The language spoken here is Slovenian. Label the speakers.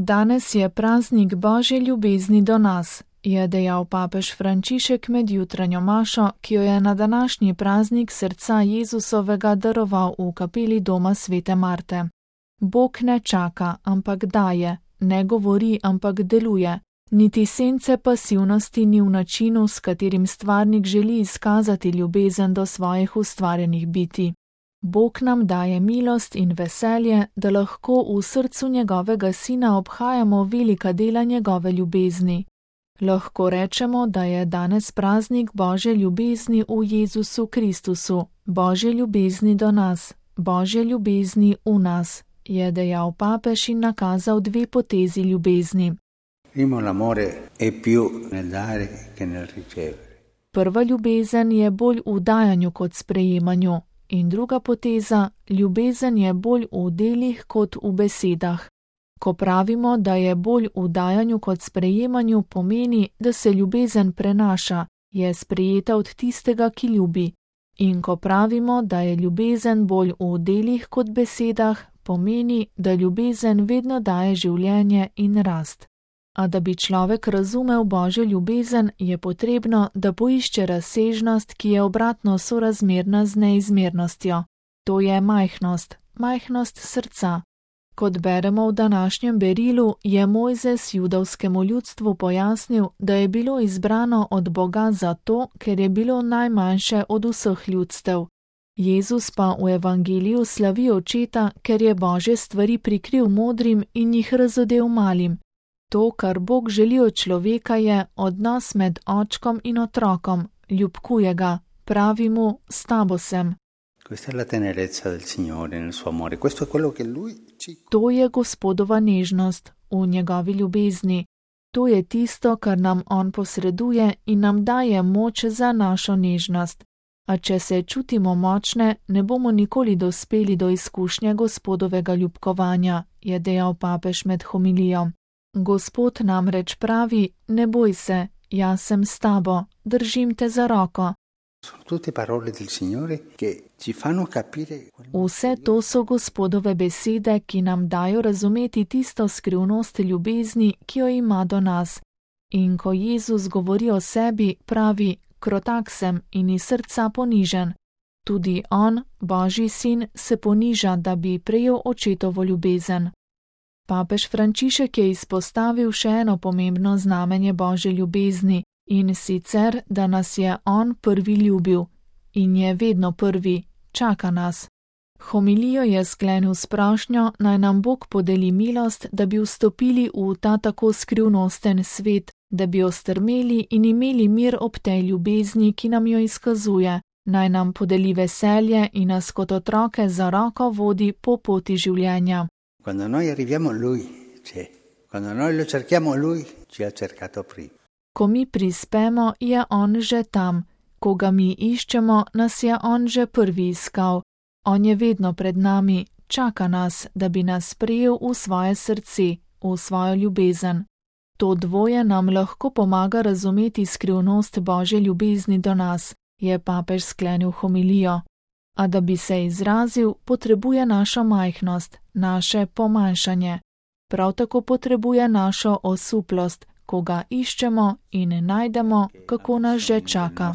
Speaker 1: Danes je praznik Božje ljubezni do nas, je dejal papež Frančišek med jutranjo mašo, ki jo je na današnji praznik srca Jezusovega daroval v kapeli doma svete Marte. Bog ne čaka, ampak daje, ne govori, ampak deluje. Niti sence pasivnosti ni v načinu, s katerim stvarnik želi izkazati ljubezen do svojih ustvarjenih bitij. Bog nam daje milost in veselje, da lahko v srcu njegovega sina obhajamo velika dela njegove ljubezni. Lahko rečemo, da je danes praznik Božje ljubezni v Jezusu Kristusu, Božje ljubezni do nas, Božje ljubezni v nas, je dejal papež in nakazal dve potezi ljubezni. Prva ljubezen je bolj v dajanju kot sprejemanju in druga poteza, ljubezen je bolj v delih kot v besedah. Ko pravimo, da je bolj v dajanju kot sprejemanju, pomeni, da se ljubezen prenaša, je sprejeta od tistega, ki ljubi. In ko pravimo, da je ljubezen bolj v delih kot besedah, pomeni, da ljubezen vedno daje življenje in rast. A da bi človek razumel Božjo ljubezen, je potrebno, da poišče razsežnost, ki je obratno sorazmerna z neizmernostjo. To je majhnost srca. Kot beremo v današnjem berilu, je Mojzes judovskemu ljudstvu pojasnil, da je bilo izbrano od Boga zato, ker je bilo najmanjše od vseh ljudstev. Jezus pa v evangeliju slavi očeta, ker je Božje stvari prikril modrim in jih razodel malim. To, kar Bog želi od človeka, je odnos med očkom in otrokom, ljubkuje ga, pravi mu, s tabo sem. To je Gospodova nežnost v njegovi ljubezni. To je tisto, kar nam on posreduje in nam daje moč za našo nežnost. A če se čutimo močne, ne bomo nikoli dospeli do izkušnje Gospodovega ljubkovanja, je dejal papež med homilijo. Gospod namreč pravi, ne boj se, jaz sem s tabo, držim te za roko. Vse to so Gospodove besede, ki nam dajo razumeti tisto skrivnost ljubezni, ki jo ima do nas. In ko Jezus govori o sebi, pravi, krotak sem in iz srca ponižen. Tudi on, Božji sin, se poniža, da bi prejel očetovo ljubezen. Papež Frančišek je izpostavil še eno pomembno znamenje Božje ljubezni, in sicer, da nas je on prvi ljubil. In je vedno prvi, čaka nas. Homilijo je sklenil s prošnjo, naj nam Bog podeli milost, da bi vstopili v ta tako skrivnosten svet, da bi ostrmeli in imeli mir ob tej ljubezni, ki nam jo izkazuje, naj nam podeli veselje in nas kot otroke za roko vodi po poti življenja. Ko mi prispemo, je on že tam. Ko ga mi iščemo, nas je on že prvi iskal. On je vedno pred nami, čaka nas, da bi nas sprejel v svoje srce, v svojo ljubezen. To dvoje nam lahko pomaga razumeti skrivnost Božje ljubezni do nas, je papež sklenil homilijo. A da bi se izrazil, potrebuje našo majhnost, naše pomanjšanje. Prav tako potrebuje našo osuplost, ko ga iščemo in najdemo, kako nas že čaka.